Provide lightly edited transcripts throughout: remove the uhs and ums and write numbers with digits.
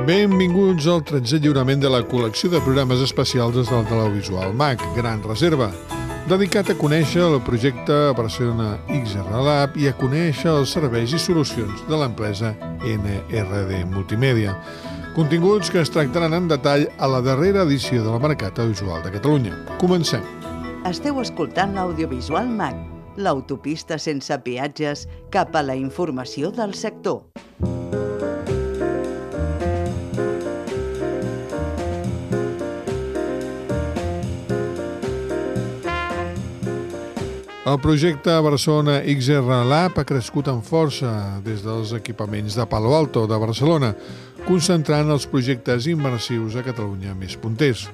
Benvinguts al 13è lliurament de la col·lecció de programes especials des del Televisual MAC, Gran Reserva, dedicat a conèixer el projecte Barcelona XR Lab i a conèixer els serveis i solucions de l'empresa NRD Multimèdia. Continguts que es tractaran en detall a la darrera edició del Mercat Audiovisual de Catalunya. Comencem. Esteu escoltant l'Audiovisual MAC, l'autopista sense peatges cap a la informació del sector. El projecte Barcelona XR Lab ha crescut amb força des dels equipaments de Palo Alto de Barcelona, concentrant els projectes immersius a Catalunya més punters.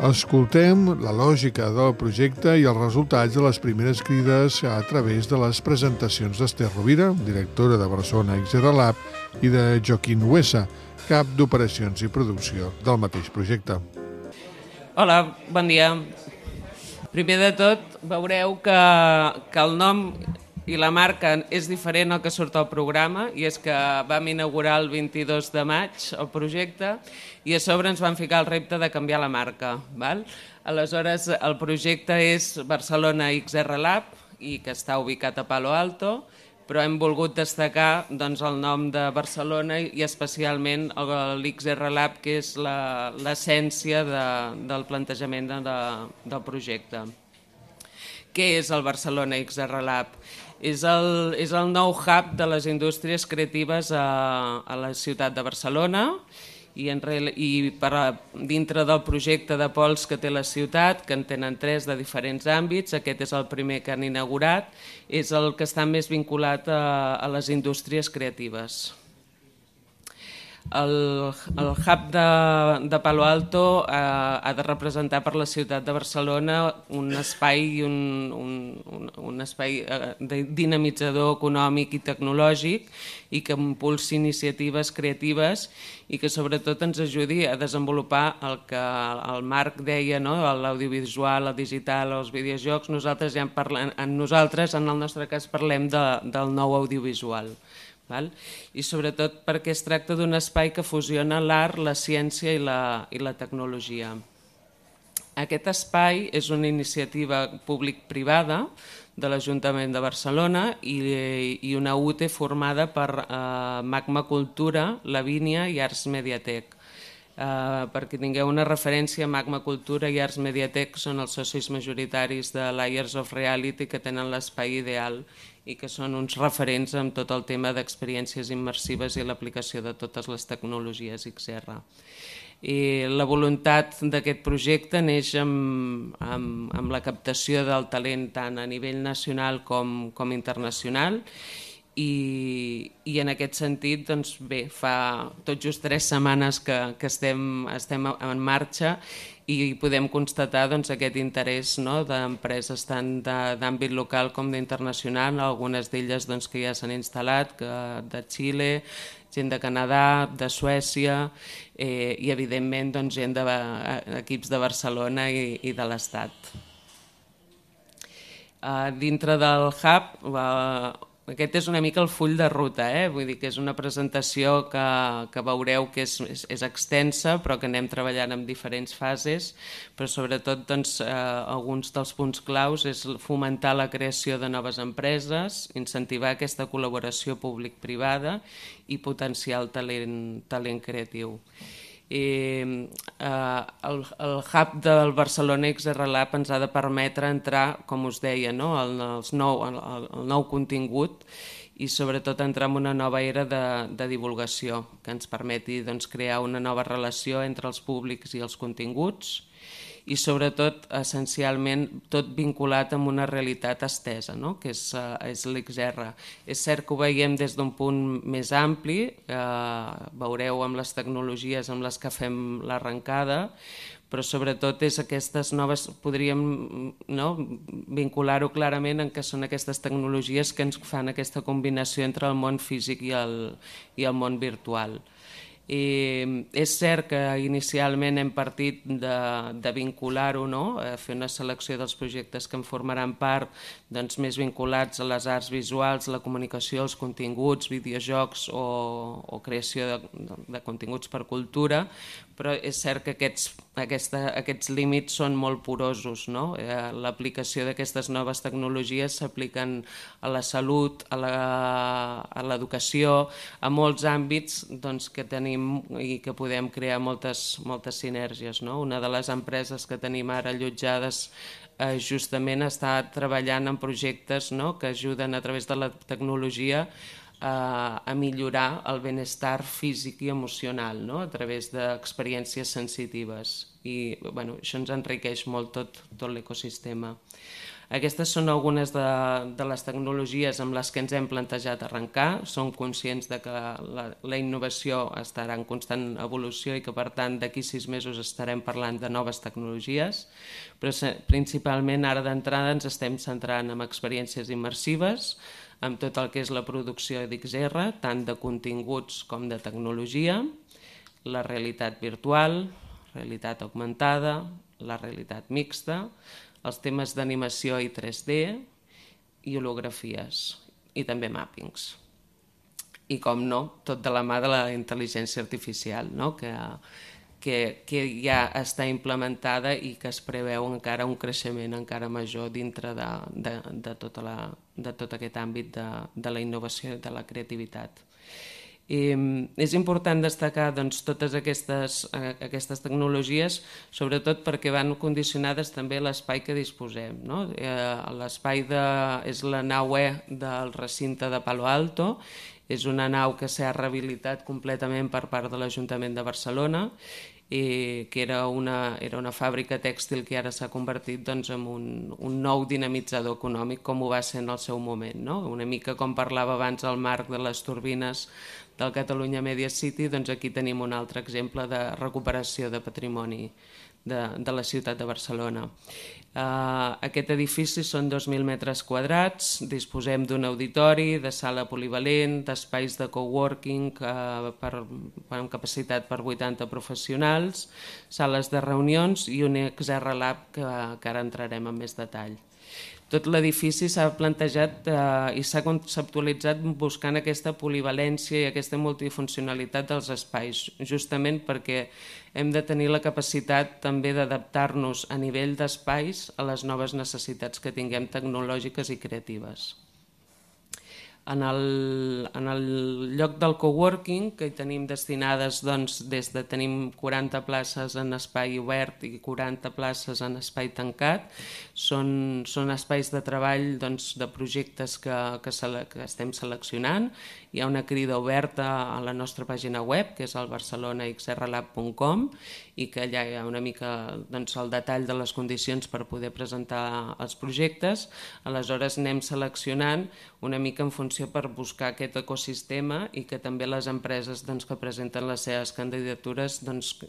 Escoltem la lògica del projecte i els resultats de les primeres crides a través de les presentacions d'Ester Rovira, directora de Barcelona XR Lab, i de Joaquín Huesa, cap d'operacions i producció del mateix projecte. Hola, bon dia. Primer de tot, veureu que el nom i la marca és diferent al que surt al programa, i és que vam inaugurar el 22 de maig el projecte i a sobre ens van ficar el repte de canviar la marca. Aleshores, el projecte és Barcelona XR Lab i que està ubicat a Palo Alto, però hem volgut destacar el nom de Barcelona i especialment l'XR Lab, que és l'essència del plantejament del projecte. Què és el Barcelona XR Lab? És el nou hub de les indústries creatives a la ciutat de Barcelona i dintre del projecte de pols que té la ciutat, que en tenen 3 de diferents àmbits, aquest és el primer que han inaugurat, és el que està més vinculat a les indústries creatives. El hub de Palo Alto ha de representar per la ciutat de Barcelona un espai dinamitzador econòmic i tecnològic i que impulsi iniciatives creatives i que sobretot ens ajudi a desenvolupar el que el Marc deia, l'audiovisual, el digital, els videojocs. Nosaltres, en el nostre cas, parlem del nou audiovisual. I sobretot perquè es tracta d'un espai que fusiona l'art, la ciència i la tecnologia. Aquest espai és una iniciativa públic-privada de l'Ajuntament de Barcelona i una UTE formada per Magma Cultura, Lavínia i Arts Mediatek. Perquè tingueu una referència, Magma Cultura i Arts Mediatek són els socis majoritaris de Layers of Reality, que tenen l'espai ideal i que són uns referents en tot el tema d'experiències immersives i l'aplicació de totes les tecnologies XR. La voluntat d'aquest projecte neix amb la captació del talent tant a nivell nacional com internacional i en aquest sentit, fa tot just 3 setmanes que estem en marxa i podem constatar aquest interès d'empreses tant d'àmbit local com d'internacional, algunes d'elles que ja s'han instal·lat, de Xile, gent de Canadà, de Suècia i evidentment gent d'equips de Barcelona i de l'Estat. Dintre del hub, aquest és una mica el full de ruta, vull dir que és una presentació que veureu que és extensa però que anem treballant en diferents fases, però sobretot alguns dels punts claus és fomentar la creació de noves empreses, incentivar aquesta col·laboració públic-privada i potenciar el talent creatiu. El hub del Barcelona XR Lab ens ha de permetre entrar, com us deia, el nou contingut i sobretot entrar en una nova era de divulgació que ens permeti crear una nova relació entre els públics i els continguts i sobretot, essencialment, tot vinculat amb una realitat estesa, que és l'XR. És cert que ho veiem des d'un punt més ampli, veureu amb les tecnologies amb les que fem l'arrencada, però sobretot és aquestes noves, podríem vincular-ho clarament en què són aquestes tecnologies que ens fan aquesta combinació entre el món físic i el món virtual. És cert que inicialment hem partit de vincular-ho, a fer una selecció dels projectes que en formaran part, més vinculats a les arts visuals, la comunicació, els continguts, videojocs o creació de continguts per cultura, però és cert que aquests límits són molt porosos. L'aplicació d'aquestes noves tecnologies s'apliquen a la salut, a l'educació, a molts àmbits que tenim i que podem crear moltes sinergies. Una de les empreses que tenim ara allotjades justament està treballant en projectes que ajuden a través de la tecnologia a millorar el benestar físic i emocional a través d'experiències sensitives. I això ens enriqueix molt tot l'ecosistema. Aquestes són algunes de les tecnologies amb les que ens hem plantejat arrencar. Som conscients que la innovació estarà en constant evolució i que, per tant, d'aquí 6 mesos estarem parlant de noves tecnologies, però principalment ara d'entrada ens estem centrant en experiències immersives, amb tot el que és la producció d'XR, tant de continguts com de tecnologia, la realitat virtual, realitat augmentada, la realitat mixta, els temes d'animació i 3D i holografies i també màppings. I, com no, tot de la mà de la intel·ligència artificial, que ja està implementada i que es preveu encara un creixement encara major dintre de tot aquest àmbit de la innovació i de la creativitat. És important destacar totes aquestes tecnologies, sobretot perquè van condicionades també a l'espai que disposem. L'espai és la nau E del recinte de Palo Alto, és una nau que s'ha rehabilitat completament per part de l'Ajuntament de Barcelona, que era una fàbrica tèxtil que ara s'ha convertit en un nou dinamitzador econòmic, com ho va ser en el seu moment. Una mica com parlava abans el Marc de les turbines del Catalunya Media City, aquí tenim un altre exemple de recuperació de patrimoni de la ciutat de Barcelona. Aquest edifici són 2.000 metres quadrats, disposem d'un auditori, de sala polivalent, d'espais de coworking amb capacitat per 80 professionals, sales de reunions i un XR Lab que ara entrarem en més detall. Tot l'edifici s'ha plantejat i s'ha conceptualitzat buscant aquesta polivalència i aquesta multifuncionalitat dels espais, justament perquè hem de tenir la capacitat també d'adaptar-nos a nivell d'espais a les noves necessitats que tinguem tecnològiques i creatives. En el lloc del coworking, que hi tenim destinades, tenim 40 places en espai obert i 40 places en espai tancat. Són espais de treball de projectes que estem seleccionant. Hi ha una crida oberta a la nostra pàgina web, que és el barcelonaxrlab.com, i que allà hi ha una mica el detall de les condicions per poder presentar els projectes. Aleshores anem seleccionant una mica en funció per buscar aquest ecosistema i que també les empreses que presenten les seves candidatures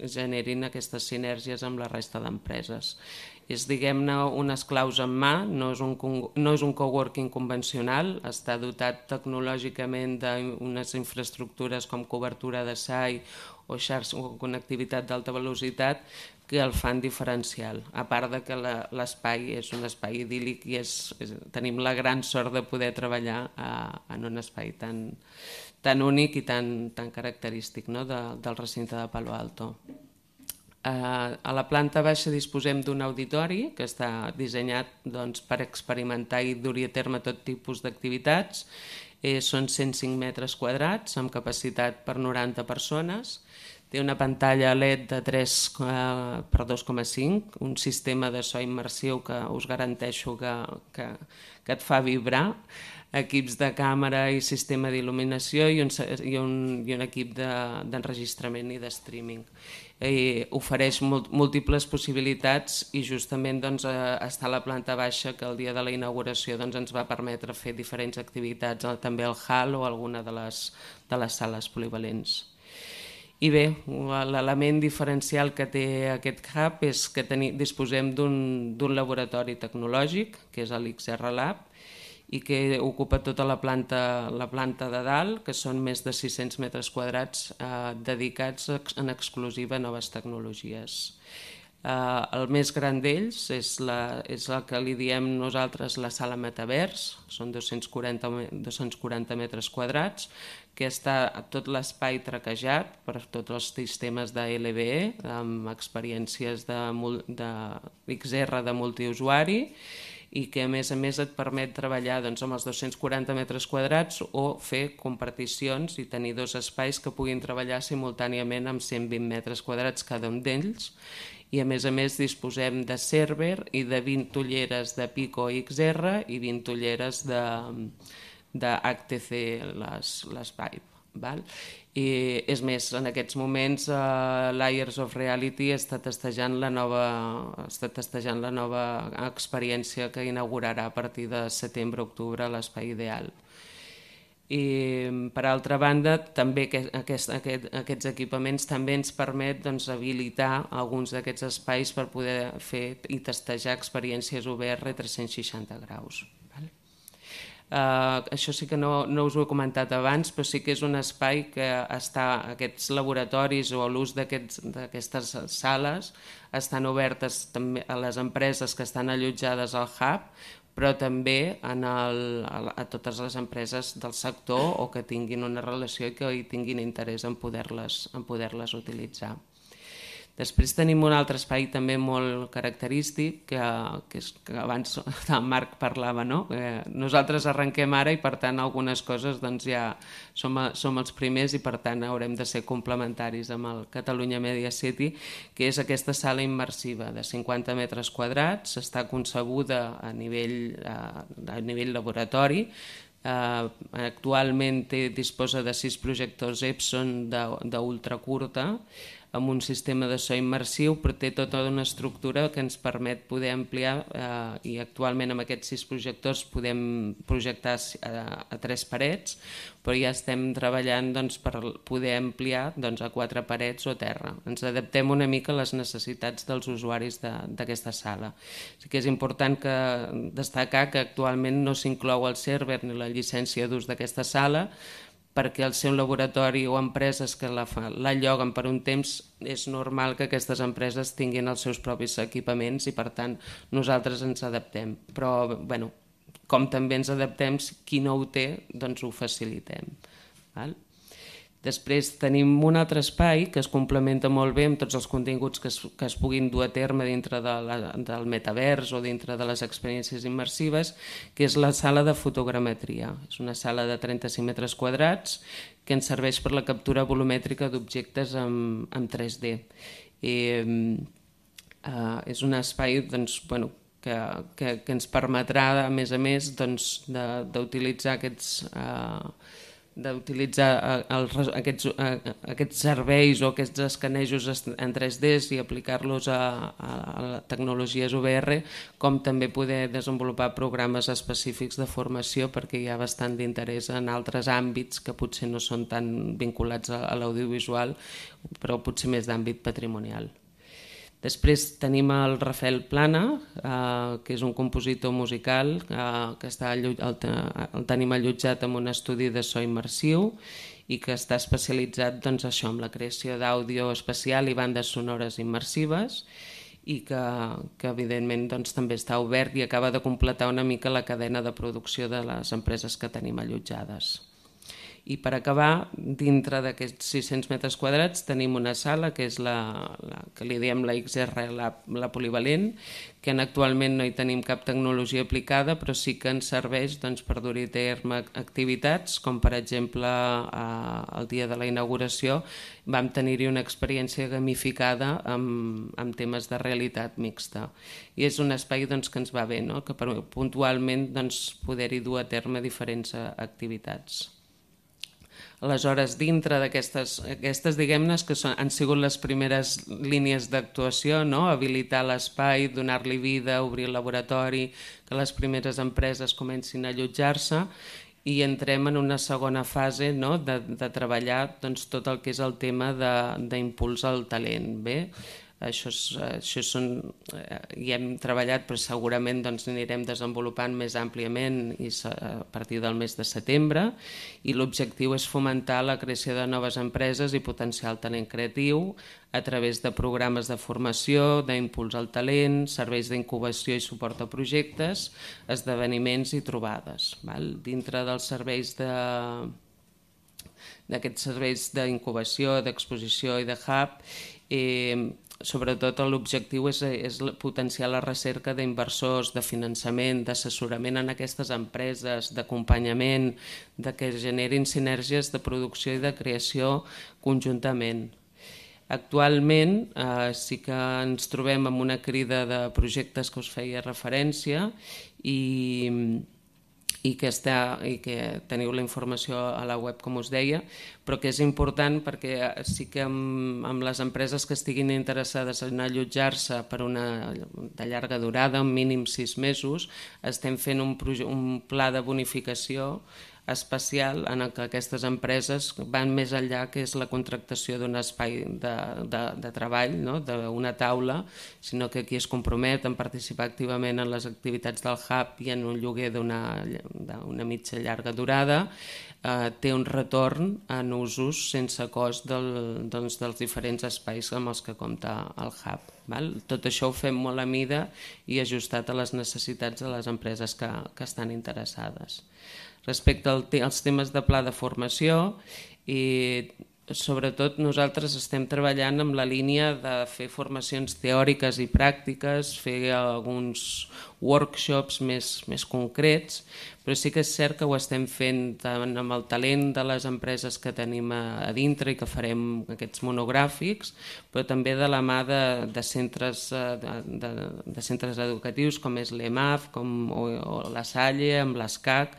generin aquestes sinergies amb la resta d'empreses. És, diguem-ne, unes claus en mà, no és un coworking convencional, està dotat tecnològicament d'unes infraestructures com cobertura de SAI o xarxa o connectivitat d'alta velocitat que el fan diferencial, a part de que l'espai és un espai idíl·lic i tenim la gran sort de poder treballar en un espai tan únic i tan característic del recinte de Palo Alto. A la planta baixa disposem d'un auditori que està dissenyat per experimentar i dur-hi a terme tot tipus d'activitats. Són 105 metres quadrats amb capacitat per 90 persones. Té una pantalla LED de 3x2,5, un sistema de so immersiu que us garanteixo que et fa vibrar, equips de càmera i sistema d'il·luminació i un equip d'enregistrament i de streaming. Ofereix múltiples possibilitats i justament està a la planta baixa que el dia de la inauguració ens va permetre fer diferents activitats, també al hall o alguna de les sales polivalents. I bé, l'element diferencial que té aquest hub és que disposem d'un laboratori tecnològic, que és l'XR Lab, i que ocupa tota la planta de dalt, que són més de 600 metres quadrats dedicats en exclusiva a noves tecnologies. El més gran d'ells és el que li diem nosaltres la sala Metavers, són 240 metres quadrats, que està tot l'espai traquejat per tots els sistemes de LBE, amb experiències d'XR de multiusuari, i que a més et permet treballar amb els 240 metres quadrats o fer comparticions i tenir dos espais que puguin treballar simultàniament amb 120 metres quadrats cada un d'ells, i a més disposem de server i de 20 ulleres de Pico XR i 20 ulleres de HTC les Vive. I és més, en aquests moments l'Ayers of Reality està testejant la nova experiència que inaugurarà a partir de setembre-octubre a l'Espai Ideal. I per altra banda també aquests equipaments també ens permet habilitar alguns d'aquests espais per poder fer i testejar experiències VR 360 graus. Això sí que no us ho he comentat abans, però sí que és un espai que aquests laboratoris o l'ús d'aquestes sales estan obertes també a les empreses que estan allotjades al hub, però també a totes les empreses del sector o que tinguin una relació i que hi tinguin interès en poder-les utilitzar. Després tenim un altre espai també molt característic, que abans el Marc parlava, no? Nosaltres arrenquem ara i per tant algunes coses ja som els primers i per tant haurem de ser complementaris amb el Catalunya Media City, que és aquesta sala immersiva de 50 metres quadrats, està concebuda a nivell laboratori. Actualment disposa de 6 projectors Epson d'ultracurta, amb un sistema de so immersiu, però té tota una estructura que ens permet poder ampliar i actualment amb aquests 6 projectors podem projectar a 3 parets, però ja estem treballant per poder ampliar a 4 parets o terra. Ens adaptem una mica a les necessitats dels usuaris d'aquesta sala. Sí que és important destacar que actualment no s'inclou el server ni la llicència d'ús d'aquesta sala, perquè al ser un laboratori o empreses que la lloguen per un temps, és normal que aquestes empreses tinguin els seus propis equipaments i per tant nosaltres ens adaptem. Però com també ens adaptem, qui no ho té, doncs ho facilitem. Després tenim un altre espai que es complementa molt bé amb tots els continguts que es puguin dur a terme dintre del metavers o dintre de les experiències immersives, que és la sala de fotogrametria. És una sala de 35 metres quadrats que ens serveix per la captura volumètrica d'objectes en 3D. És un espai que ens permetrà, a més, d'utilitzar aquests serveis o aquests escanejos en 3D i aplicar-los a tecnologies VR, com també poder desenvolupar programes específics de formació, perquè hi ha bastant d'interès en altres àmbits que potser no són tan vinculats a l'audiovisual, però potser més d'àmbit patrimonial. Després tenim el Rafael Plana, que és un compositor musical que el tenim allotjat en un estudi de so immersiu i que està especialitzat en la creació d'àudio especial i bandes sonores immersives i que evidentment també està obert i acaba de completar una mica la cadena de producció de les empreses que tenim allotjades. I per acabar, dintre d'aquests 600 metres quadrats tenim una sala que és la que li diem la XR, la polivalent, que actualment no hi tenim cap tecnologia aplicada, però sí que ens serveix per dur-hi a terme activitats, com per exemple el dia de la inauguració vam tenir-hi una experiència gamificada amb temes de realitat mixta. I és un espai que ens va bé, que puntualment poder-hi dur a terme diferents activitats. Aleshores, dintre d'aquestes, diguem-ne, que han sigut les primeres línies d'actuació, habilitar l'espai, donar-li vida, obrir el laboratori, que les primeres empreses comencin a allotjar-se, i entrem en una segona fase de treballar tot el que és el tema d'impuls al talent. Això hi hem treballat, però segurament anirem desenvolupant més àmpliament a partir del mes de setembre, i l'objectiu és fomentar la creació de noves empreses i potenciar el talent creatiu a través de programes de formació, d'impuls al talent, serveis d'incubació i suport a projectes, esdeveniments i trobades. Dintre dels serveis d'aquests serveis d'incubació, d'exposició i de hub, sobretot l'objectiu és potenciar la recerca d'inversors, de finançament, d'assessorament en aquestes empreses, d'acompanyament, de que generin sinergies de producció i de creació conjuntament. Actualment sí que ens trobem amb una crida de projectes que us feia referència i que teniu la informació a la web, com us deia, però que és important perquè sí que amb les empreses que estiguin interessades en allotjar-se per una de llarga durada, un mínim 6 mesos, estem fent un pla de bonificació especial en què aquestes empreses van més enllà, que és la contractació d'un espai de treball, d'una taula, sinó que aquí es comprometen a participar activament en les activitats del hub i en un lloguer d'una mitja llarga durada, té un retorn en usos sense cost dels diferents espais amb els que compta el hub. Tot això ho fem molt a mida i ajustat a les necessitats de les empreses que estan interessades. Respecte als temes de pla de formació, sobretot nosaltres estem treballant amb la línia de fer formacions teòriques i pràctiques, fer alguns workshops més concrets, però sí que és cert que ho estem fent tant amb el talent de les empreses que tenim a dintre i que farem aquests monogràfics, però també de la mà de centres educatius com és l'EMAF o la Salle, amb l'ESCAC,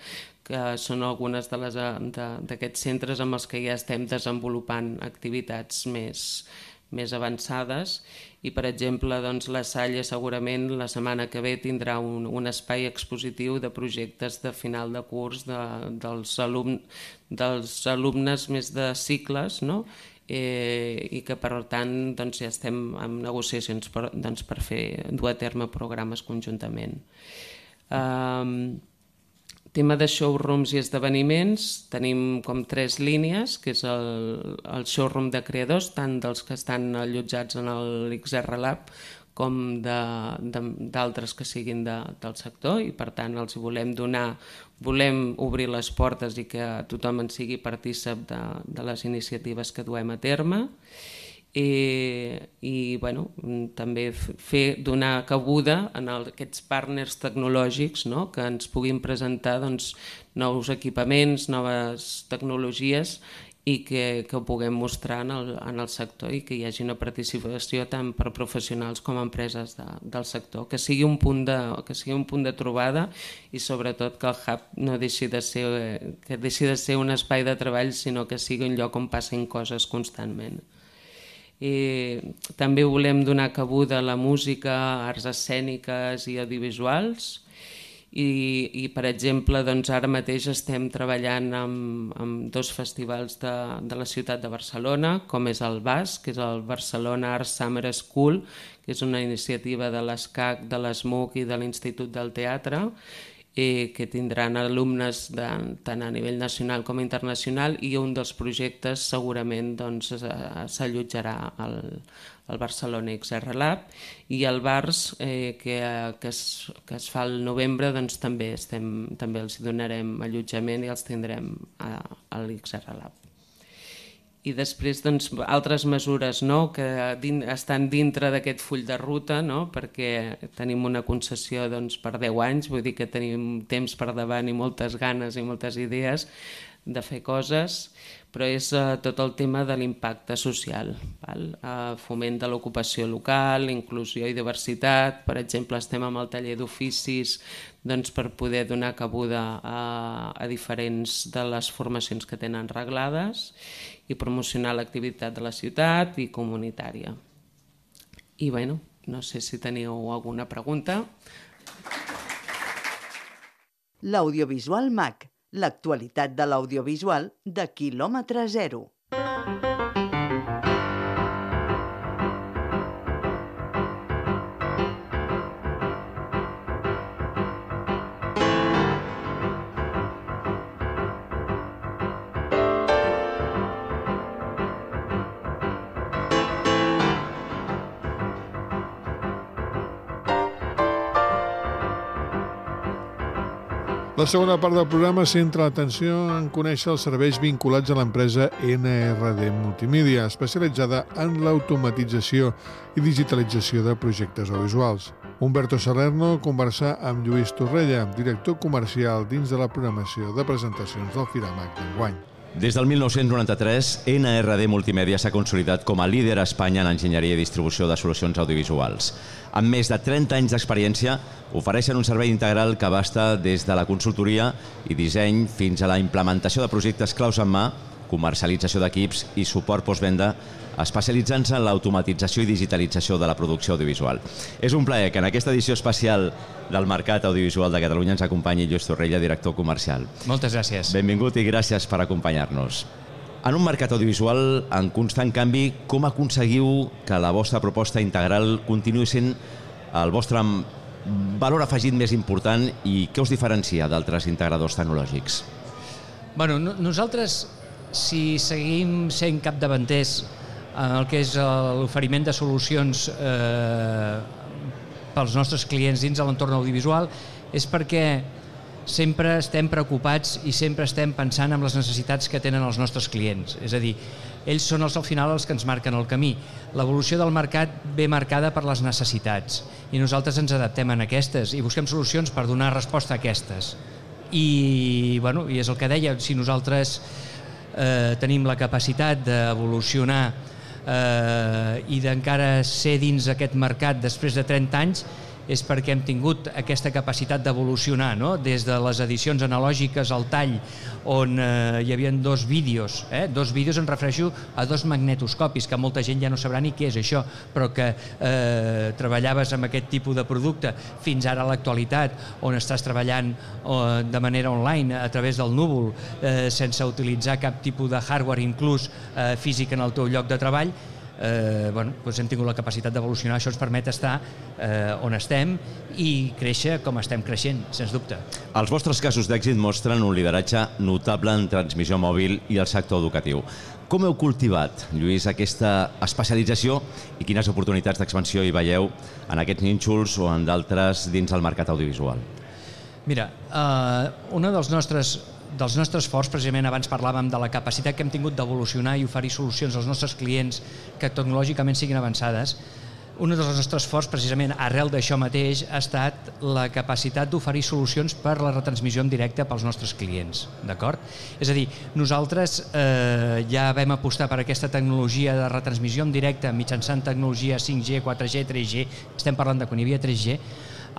que són algunes d'aquests centres amb els que ja estem desenvolupant activitats més avançades. I, per exemple, la Salle segurament la setmana que ve tindrà un espai expositiu de projectes de final de curs dels alumnes més de cicles, i que, per tant, ja estem en negociacions per dur a terme programes conjuntament. Tema de showrooms i esdeveniments, tenim com 3 línies, que és el showroom de creadors, tant dels que estan allotjats en l'XR Lab com d'altres que siguin del sector, i per tant els volem obrir les portes i que tothom en sigui partícip de les iniciatives que duem a terme. I també donar cabuda a aquests partners tecnològics que ens puguin presentar nous equipaments, noves tecnologies i que ho puguem mostrar en el sector i que hi hagi una participació tant per professionals com empreses del sector, que sigui un punt de trobada i sobretot que el hub no deixi de ser un espai de treball, sinó que sigui un lloc on passin coses constantment. També volem donar cabuda a la música, arts escèniques i audiovisuals i per exemple, ara mateix estem treballant amb 2 festivals de la ciutat de Barcelona, com és el BAS, que és el Barcelona Art Summer School, que és una iniciativa de l'ESCAC, de l'ESMUC i de l'Institut del Teatre, que tindran alumnes tant a nivell nacional com internacional, i un dels projectes segurament s'allotjarà al Barcelona XR Lab, i el BARS que es fa al novembre també els donarem allotjament i els tindrem a l'XR Lab. I després altres mesures que estan dintre d'aquest full de ruta, perquè tenim una concessió per 10 anys, vull dir que tenim temps per davant i moltes ganes i moltes idees de fer coses, però és tot el tema de l'impacte social, foment de l'ocupació local, inclusió i diversitat. Per exemple, estem amb el taller d'oficis per poder donar cabuda a diferents de les formacions que tenen reglades i promocionar l'activitat de la ciutat i comunitària. I no sé si teniu alguna pregunta. L'Audiovisual MAC, l'actualitat de l'audiovisual de quilòmetre zero. La segona part del programa centra l'atenció en conèixer els serveis vinculats a l'empresa NRD Multimèdia, especialitzada en l'automatització i digitalització de projectes audiovisuals. Humberto Salerno conversa amb Lluís Torrella, director comercial dins de la programació de presentacions del Firamac d'enguany. Des del 1993, NRD Multimèdia s'ha consolidat com a líder a Espanya en enginyeria i distribució de solucions audiovisuals. Amb més de 30 anys d'experiència, ofereixen un servei integral que abasta des de la consultoria i disseny fins a la implementació de projectes claus en mà, comercialització d'equips i suport postvenda, especialitzant-se en l'automatització i digitalització de la producció audiovisual. És un plaer que en aquesta edició especial del Mercat Audiovisual de Catalunya ens acompanyi Lluís Torrella, director comercial. Moltes gràcies. Benvingut i gràcies per acompanyar-nos. En un mercat audiovisual en constant canvi, com aconseguiu que la vostra proposta integral continuï sent el vostre valor afegit més important i què us diferencia d'altres integradors tecnològics? Bueno, nosaltres, si seguim sent capdavanters en el que és l'oferiment de solucions pels nostres clients dins de l'entorn audiovisual, és perquè sempre estem preocupats i sempre estem pensant en les necessitats que tenen els nostres clients. És a dir, ells són al final els que ens marquen el camí. L'evolució del mercat ve marcada per les necessitats i nosaltres ens adaptem a aquestes i busquem solucions per donar resposta a aquestes. I és el que deia, si nosaltres tenim la capacitat d'evolucionar i d'encara ser dins aquest mercat després de 30 anys, és perquè hem tingut aquesta capacitat d'evolucionar, no? Des de les edicions analògiques al tall, on hi havia dos vídeos, em refereixo a dos magnetoscopis, que molta gent ja no sabrà ni què és això, però que treballaves amb aquest tipus de producte, fins ara a l'actualitat, on estàs treballant de manera online, a través del núvol, sense utilitzar cap tipus de hardware, inclús físic en el teu lloc de treball. Hem tingut la capacitat d'evolucionar, això ens permet estar on estem i créixer com estem creixent, sens dubte. Els vostres casos d'èxit mostren un lideratge notable en transmissió mòbil i el sector educatiu. Com heu cultivat, Lluís, aquesta especialització i quines oportunitats d'expansió hi veieu en aquests nínxols o en d'altres dins el mercat audiovisual? Mira, una dels nostres forts, precisament abans parlàvem de la capacitat que hem tingut d'evolucionar i oferir solucions als nostres clients que tecnològicament siguin avançades. Un dels nostres forts, precisament arrel d'això mateix, ha estat la capacitat d'oferir solucions per la retransmissió en directe pels nostres clients, d'acord? És a dir, nosaltres ja vam apostar per aquesta tecnologia de retransmissió en directe mitjançant tecnologia 5G, 4G, 3G, estem parlant de quan hi havia 3G,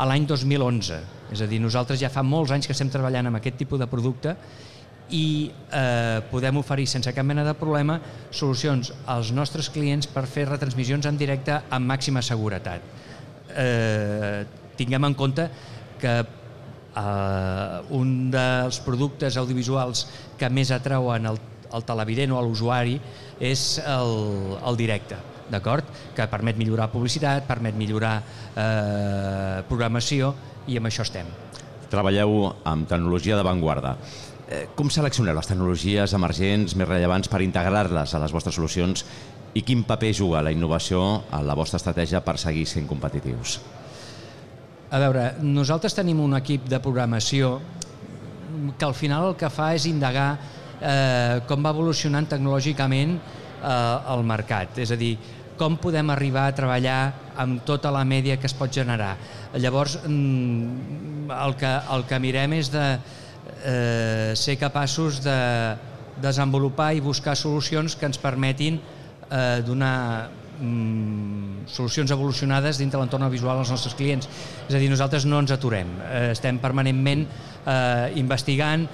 a l'any 2011. És a dir, nosaltres ja fa molts anys que estem treballant amb aquest tipus de producte i podem oferir sense cap mena de problema solucions als nostres clients per fer retransmissions en directe amb màxima seguretat. Tinguem en compte que un dels productes audiovisuals que més atrauen el televident o a l'usuari és el directe, d'acord? Que permet millorar publicitat, permet millorar programació i amb això estem. Treballeu amb tecnologia d'avantguarda. Com seleccioneu les tecnologies emergents més rellevants per integrar-les a les vostres solucions i quin paper juga la innovació en la vostra estratègia per seguir sent competitius? A veure, nosaltres tenim un equip de programació que al final el que fa és indagar com va evolucionant tecnològicament el mercat, és a dir, com podem arribar a treballar amb tota la mèdia que es pot generar. Llavors, el que mirem és de ser capaços de desenvolupar i buscar solucions que ens permetin donar solucions evolucionades dintre l'entorn visual als nostres clients. És a dir, nosaltres no ens aturem, estem permanentment investigant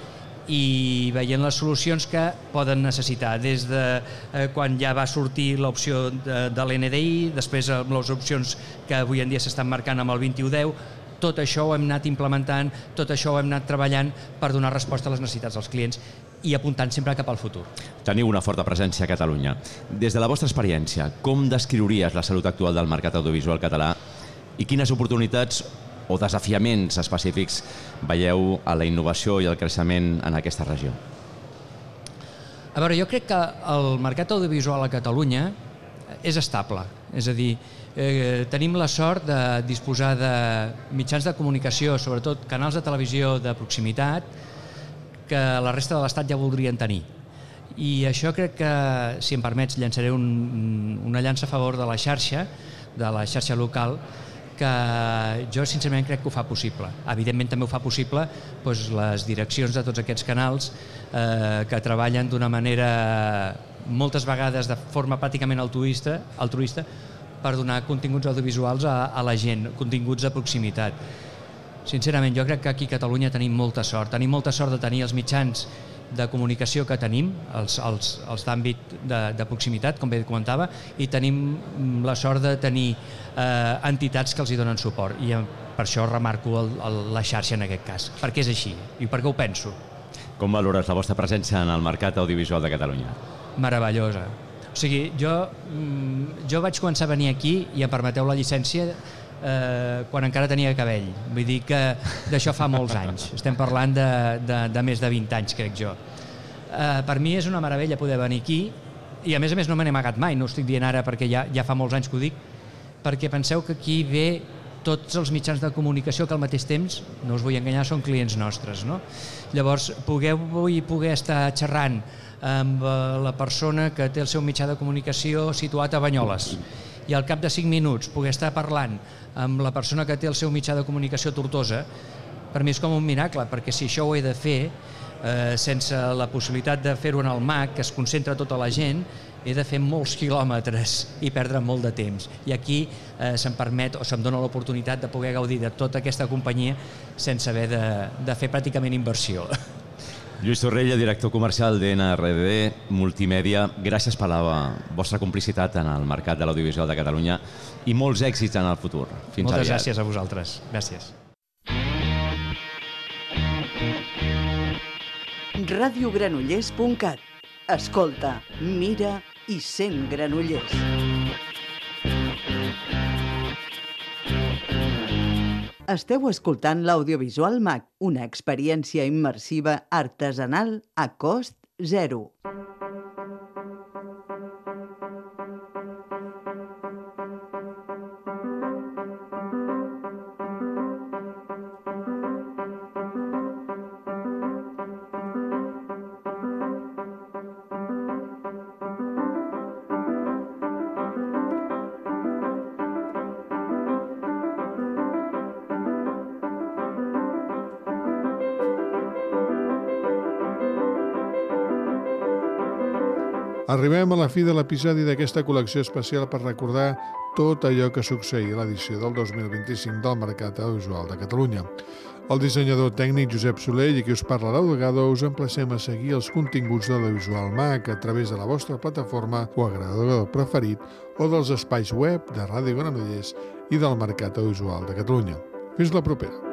i veient les solucions que poden necessitar, des de quan ja va sortir l'opció de l'NDI, després les opcions que avui en dia s'estan marcant amb el 2110, tot això ho hem anat implementant, tot això ho hem anat treballant per donar resposta a les necessitats dels clients i apuntant sempre cap al futur. Teniu una forta presència a Catalunya. Des de la vostra experiència, com descriuries la salut actual del mercat audiovisual català i quines oportunitats o desafiaments específics veieu a la innovació i el creixement en aquesta regió? A veure, jo crec que el mercat audiovisual a Catalunya és estable. És a dir, tenim la sort de disposar de mitjans de comunicació, sobretot canals de televisió de proximitat, que la resta de l'Estat ja voldrien tenir. I això crec que, si em permets, llançaré una llança a favor de la xarxa local, que jo sincerament crec que ho fa possible. Evidentment també ho fa possible les direccions de tots aquests canals que treballen d'una manera moltes vegades de forma pràcticament altruista per donar continguts audiovisuals a la gent, continguts de proximitat. Sincerament, jo crec que aquí a Catalunya tenim molta sort de tenir els mitjans de comunicació que tenim, els d'àmbit de proximitat, com bé comentava, i tenim la sort de tenir entitats que els hi donen suport, i per això remarco la xarxa en aquest cas, perquè és així i perquè ho penso. Com valores la vostra presència en el mercat audiovisual de Catalunya? Meravellosa. O sigui, jo vaig començar a venir aquí, i em permeteu la llicència, quan encara tenia cabell. Vull dir que d'això fa molts anys. Estem parlant de més de 20 anys, crec jo. Per mi és una meravella poder venir aquí, i a més no me n'he amagat mai, no ho estic dient ara perquè ja fa molts anys que ho dic, perquè penseu que aquí ve tots els mitjans de comunicació que al mateix temps, no us vull enganyar, són clients nostres, no? Llavors, poder estar xerrant amb la persona que té el seu mitjà de comunicació situat a Banyoles, i al cap de 5 minuts poder estar parlant amb la persona que té el seu mitjà de comunicació a Tortosa, per mi és com un miracle, perquè si això ho he de fer sense la possibilitat de fer-ho en el MAC, que es concentra tota la gent, he de fer molts quilòmetres i perdre molt de temps. I aquí se'm permet o se'm dona l'oportunitat de poder gaudir de tota aquesta companyia sense haver de fer pràcticament inversió. Lluís Torrella, director comercial d'NRD Multimèdia, gràcies per la vostra complicitat en el mercat de l'audiovisual de Catalunya i molts èxits en el futur. Fins aviat. Moltes gràcies a vosaltres. Gràcies. radiogranollers.cat. Escolta, mira i sent Granollers. Esteu escoltant l'audiovisual MAC, una experiència immersiva artesanal a cost zero. Arribem a la fi de l'episodi d'aquesta col·lecció especial per recordar tot allò que succeïa a l'edició del 2025 del Mercat Audiovisual de Catalunya. El dissenyador tècnic Josep Soler i qui us parla Laudegado us emplacem a seguir els continguts de l'Audiovisual MAC a través de la vostra plataforma o agregador preferit o dels espais web de Ràdio Granollers i del Mercat Audiovisual de Catalunya. Fins la propera.